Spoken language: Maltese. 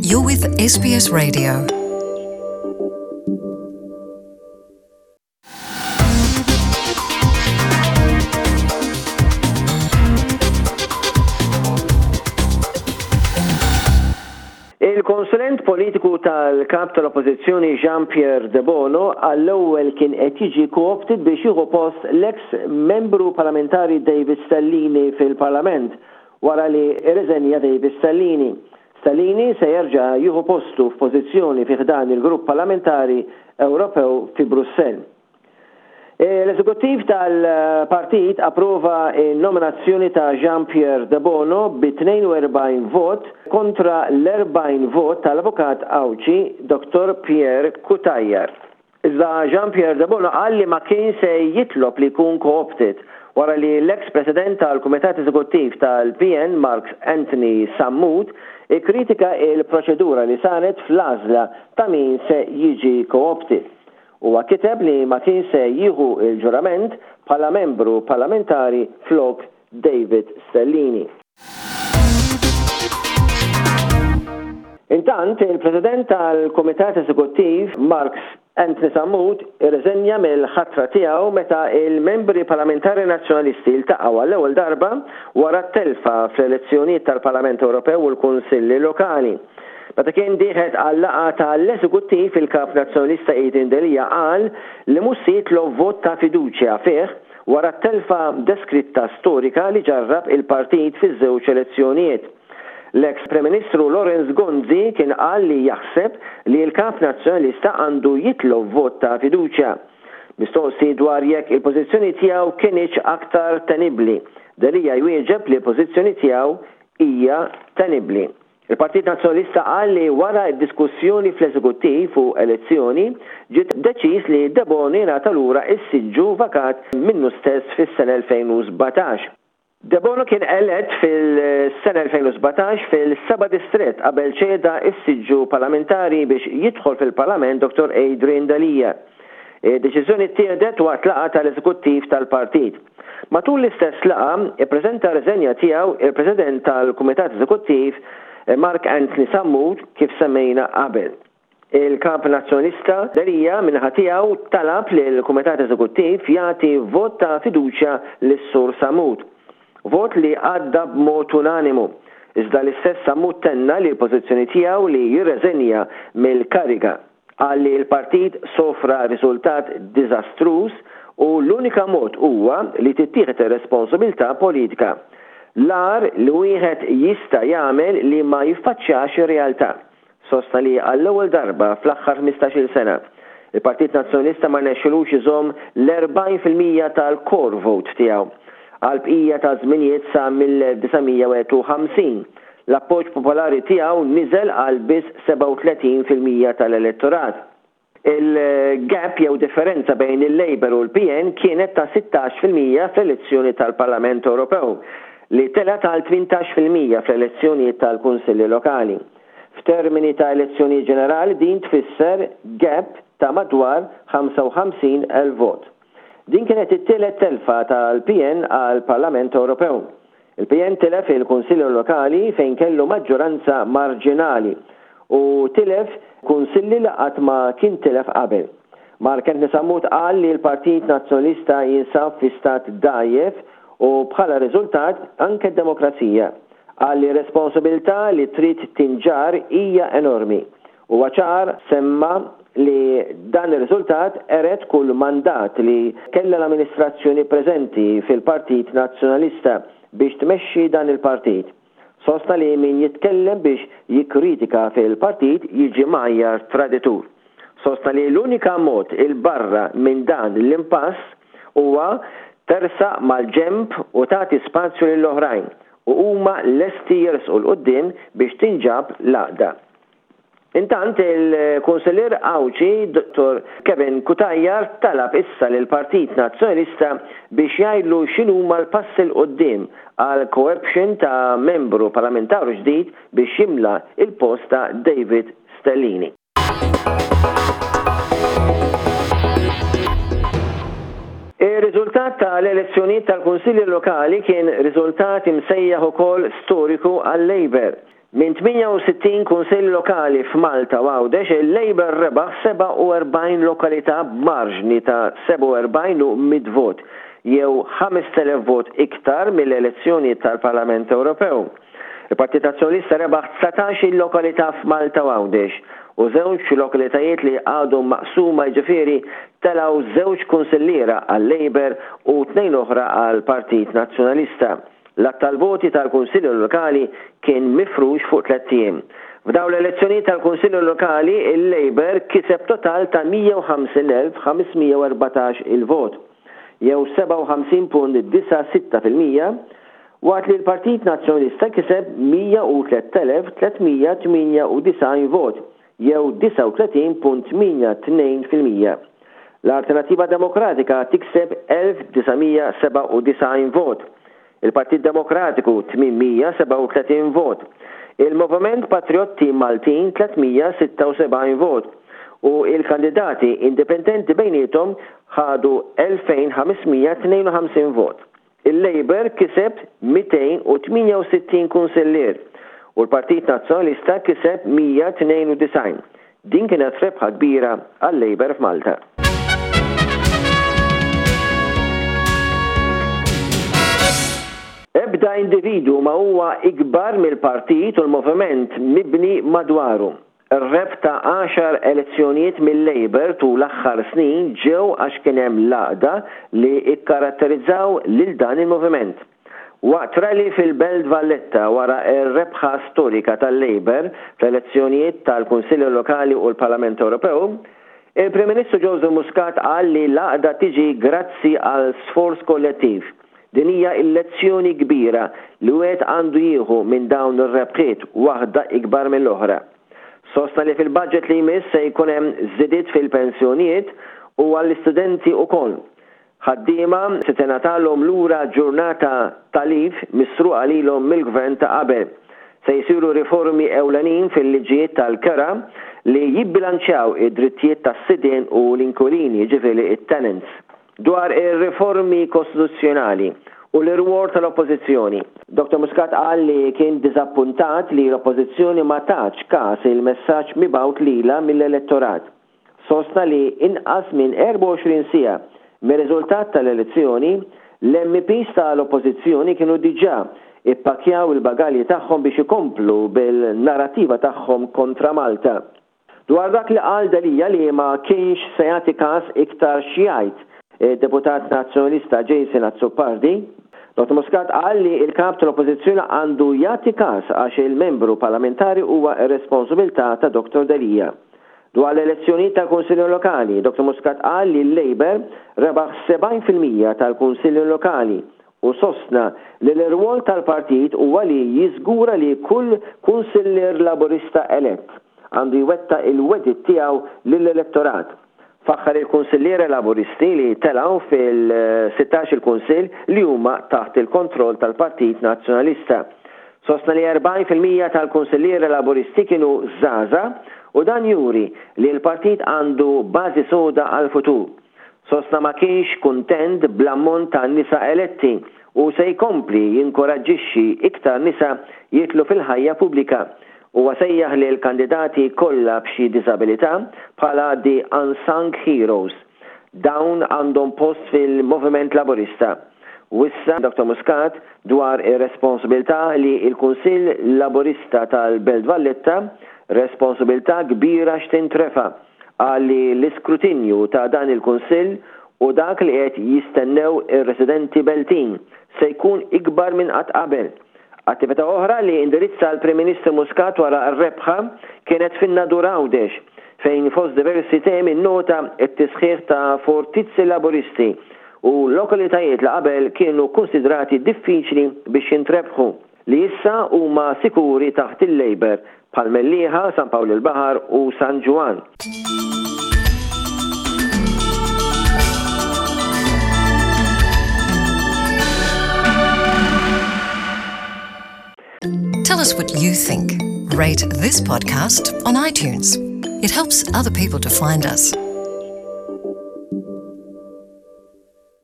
You're with SBS Radio. Il-konsulent politiku tal-Kap tal-Oppożizzjoni Jean Pierre Debono għall-ewwel kien qed jiġi co-opted biex jieħu post l-eks Membru Parlamentari David Stellini fil-Parlament wara li rriżenja David Stellini. Stellini se jerġa' jieħu postu f'pożizzjoni fi ħdan il-Grupp Parlamentari Ewropew fi Brussell. L-Eżekuttiv tal-partit approva n-nominazzjoni ta' Jean Pierre Debono bi 42 vot kontra l-40 vot tal-Avukat Għawdxi Dottor Pierre Cutajar. Iżda Jean Pierre Debono qal li ma kien se jitlob li jkun co-opted wara li l-eks President tal-Kumitat Eżekuttiv tal-PN Mark Anthony Sammut ikkritika l-proċedura li saret fl-għażla ta' min se jiġi co-opted. Huwa kiteb li ma kien se jieħu l-ġurament bħala membru parlamentari flok David Stellini. Intant, il-President tal-Kumitat Eżekuttiv, Marks Anthony Sammut, irriżenja mill-ħatra tiegħu meta l-membri parlamentari Nazzjonalisti ltaqgħu għall-ewwel darba wara t-telfa fl-elezzjonijiet tal-Parlament Ewropew u l-Kunsilli Lokali. Meta kien dieħet għal-laqgħa ta' l-Eżekuttiv, il-Kap Nazzjonalista Adrian Delia qal li mhux se jitlob vot ta' fiduċja fih wara t-telfa deskritta storika li ġarrab il-partit fiż-żewġ elezzjonijiet. L-eks Prim Ministru Lawrence Gonzi kien qal li jaħseb li l-Kap Nazzjonalista għandu jitlob vot ta' fiduċja. Mistoqsi dwar jekk il-pożizzjoni tiegħu kinitx aktar tenibbli, Delia jwieġeb li l-pożizzjoni tiegħu hija tenibbli. Il-Partit Nazzjonalista qal li wara d-diskussjoni fl-Eżekuttiv u elezzjoni, ġiet deċiż li Debono jingħata lura s-siġġu vakat minnu stess fis-sena 2017. Debono kien elett fil-sena 2017 fil-seba' distrett qabel ċeda s-siġġu parlamentari biex jidħol fil-Parlament Dottor Adrian Delia. Id-deċiżjoni ttieħdet waqt laqgħa tal-Eżekuttiv tal-partit. Matul l-istess laqgħa, ippreżenta r-riżenja tiegħu il-President tal-Kumitat Eżekuttiv Mark Anthony Sammut kif semmejna qabel. Il-Kap Nazzjonalista Delia min-naħa tiegħu talab lill-Kumitat Eżekuttiv jagħti vot ta' fiduċja lis-Sur Sammut. Vot li għadda b'mod unanimu. Iżda l-istess Sammut tenna li l-pożizzjoni tiegħu li jirreżenja mill-kariga. Qal li l-partit sofra riżultat diżastruż u l-unika mod huwa li tittieħed ir-responsabiltà politika. L-agħar li wieħed jista' jagħmel li ma jiffaċċjax ir-realtà. Sostna li għall-ewwel darba fl-aħħar 15-il sena, il-Partit Nazzjonalista ma rnexxilux iżomm l-40% tal-core vote tiegħu. Għall-bqija taż-żminijiet sa mill-1951, L-appoġġ popolari tiegħu niżel għal biss 37% tal-elettorat. Il-gap jew differenza bejn il-Labour u l-PN kienet ta' 16% fl-elezzjoni tal-Parlament Ewropew, li telgħet għal 18% fl-elezzjonijiet tal-Kunsilli Lokali. F'termini ta' elezzjonijiet ġenerali din tfisser gap ta' madwar 55,000 vot. Din kienet it-tielet telfa tal-PN għall-Parlament Ewropew. Il-PN tilef il-Kunsilli Lokali fejn kellu maġġoranza marġinali u tilef kunsilli li qatt ma kien tilef qabel. Mark Anthony Sammut qal li l-Partit Nazzjonalista jinsab fi stat dgħajjef u bħala riżultat anke d-demokrazija. Qal li r-responsabilità li trid tinġarr hija enormi. Huwa ċar semma li dan ir-riżultat qered kull mandat li kellha l-amministrazzjoni preżenti fil-Partit Nazzjonalista biex tmexxi dan il-partit. Sostna li min jitkellem biex jikkritika fil-partit jiġi mgħajjar traditur. Sostna li l-unika mod 'il barra minn dan l-impass huwa tersaq mal-ġenb u tagħti spazju lill-oħrajn u huma lesti jersqu 'l quddiem biex tinġab l-għaqda. Intant, il-Kunsillier Għawdxi Dottor Kevin Cutajar talab issa lill-Partit Nazzjonalista biex jgħidlu x'inhuma l-passi 'l quddiem għal co-option ta' membru parlamentaru ġdid biex jimla l-post ta' David Stellini. Ir-riżultat ta' l-elezzjonijiet tal-Kunsilli Lokali kien riżultat imsejjaħ ukoll storiku għal-Labour. Minn 68 kunsill lokali f'Malta u Għawdex, il-Labour rebaħ 47 lokalità b'marġni ta' 47 u mitt vot, jew 5,000 vot iktar mill-elezzjonijiet tal-Parlament Ewropew. Il-Partit Nazzjonalista rebaħ 19-il lokalità f'Malta u Għawdex, u żewġ lokalitajiet li għadhom maqsuma jiġifieri telgħu żewġ kunsilliera għal-Labour u tnejn oħra għall-Partit Nazzjonalista. L-għadd tal-voti tal-Kunsilli Lokali kien mifrux fuq tlett ijiem. F'dawn l-elezzjonijiet tal-Kunsilli Lokali, il-Labour kiseb total ta' 150,514 il-vot, jew 57.96%, waqt li l-Partit Nazzjonalista kiseb 103,398 vot, jew 39.82%. L-Alternattiva Demokratika tikseb 1,997 vot, il-Partit Demokratiku 837 vot, il-Moviment Patrijotti Maltin 376 vot u il-kandidati indipendenti bejniethom ħadu 2,552 vot. Il-Labour kiseb 268 kunsillier u l-Partit Nazzjonalista kiseb 192. Din kienet rebħa kbira għal-Labour f'Malta. Ebda individwu ma huwa ikbar mill-partit u l-moviment mibni madwaru. Ir-rebħ ta' għaxar elezzjonijiet mil-Labour tul l-aħħar snin ġew għax kien hemm l-għaqda li kkaratterizzaw lil dan il-moviment. Waqt rally fil-Belt Valletta wara r-rebħa storika tal-Labour fl-elezzjonijiet tal-Kunsilli Lokali u l-Parlament Ewropew, il-Prim Ministru Joseph Muscat qal li l-għaqda tiġi grazzi għal sforz kollettiv. Din hija l-lezzjoni kbira li wieħed għandu jieħu minn dawn ir-rebħiet waħda ikbar mill-oħra. Sostna li fil-budget li jmiss se jkun hemm żidiet fil-pensjonijiet u għall-istudenti ukoll. Ħaddiema se tingħatalhom lura ġurnata ta' leave misruqa lilhom mill-Gvern ta' qabel. Se jsiru riformi ewlenin fil-liġijiet tal-kera li jibbilanċjaw id-drittijiet tas-sidien u l-inkwilini, jiġifieri t-tenants. Dwar ir-riformi kostituzzjonali u l-irwol tal-Oppożizzjoni, Dottor Muscat qal li kien diżappuntat li l-Oppożizzjoni ma tatx kas il-messaġġ mibgħut lilha mill-elettorat. Sostna li inqas minn 24 siegħa mir-riżultat tal-elezzjoni, l-MEPs tal-Oppożizzjoni kienu diġà ippakkjaw il-bagalji tagħhom biex ikomplu bil-narrattiva tagħhom kontra Malta. Dwar dak li qal Delia li ma kienx se jagħti każ iktar x'jgħid id-Deputat Nazzjonalista Jason Azzopardi, Dottor Muscat qal li l-Kap tal-Oppożizzjoni għandu jagħti każ għax il-Membru Parlamentari huwa r-responsabilità ta' Dottor Delia. Dwar l-elezzjonijiet tal-Kunsilli Lokali, Dottor Muscat qal li l-Labour rebaħ 70% tal-Kunsilli Lokali u sostna li l-irwol tal-partit huwa li jiżgura li kull kunsillier Laburista elett għandu jwettaq il-wegħdiet tiegħu lill-elettorat. Faħħar il-kunsilliera Laburisti li telgħu fil-sittax-il kunsill li huma taħt il-kontroll tal-Partit Nazzjonalista. Sostna li 40% tal-kunsilliera Laburisti kienu żgħażagħ u dan juri li l-partit għandu bażi soda għall-futur. Sostna ma kienx kuntent bl-ammont ta' nisa eletti u se jkompli jinkoraġġixxi iktar nisa jidħlu fil-ħajja pubblika. Huwa sejjaħ lill-kandidati kollha b'xi diżabilità bħala the unsung heroes. Dawn għandhom post fil-Moviment Laburista. Wissa Dottor Muscat dwar ir-responsabilità li l-Kunsill Laburista tal-Belt Valletta, responsabilità kbira x'tintrefa'. Qal li l-iskrutinju ta' dan il-Kunsill u dak li qed jistennew ir-residenti Beltin se jkun ikbar minn qatt qabel. Attività oħra li indirizza l-Prim Ministru Muscat wara r-rebħa kienet fin-Nadur Għawdex fejn fost diversi temi nnota t-tisħiħ ta' fortizzi Laburisti u lokalitajiet li qabel kienu kkunsidrati diffiċli biex jintrebħu. li issa huma sikuri taħt il-Labour bħal Mellieħa, San Pawl il-Baħar u San Ġwann. Tell us what you think. Rate this podcast on iTunes. It helps other people to find us.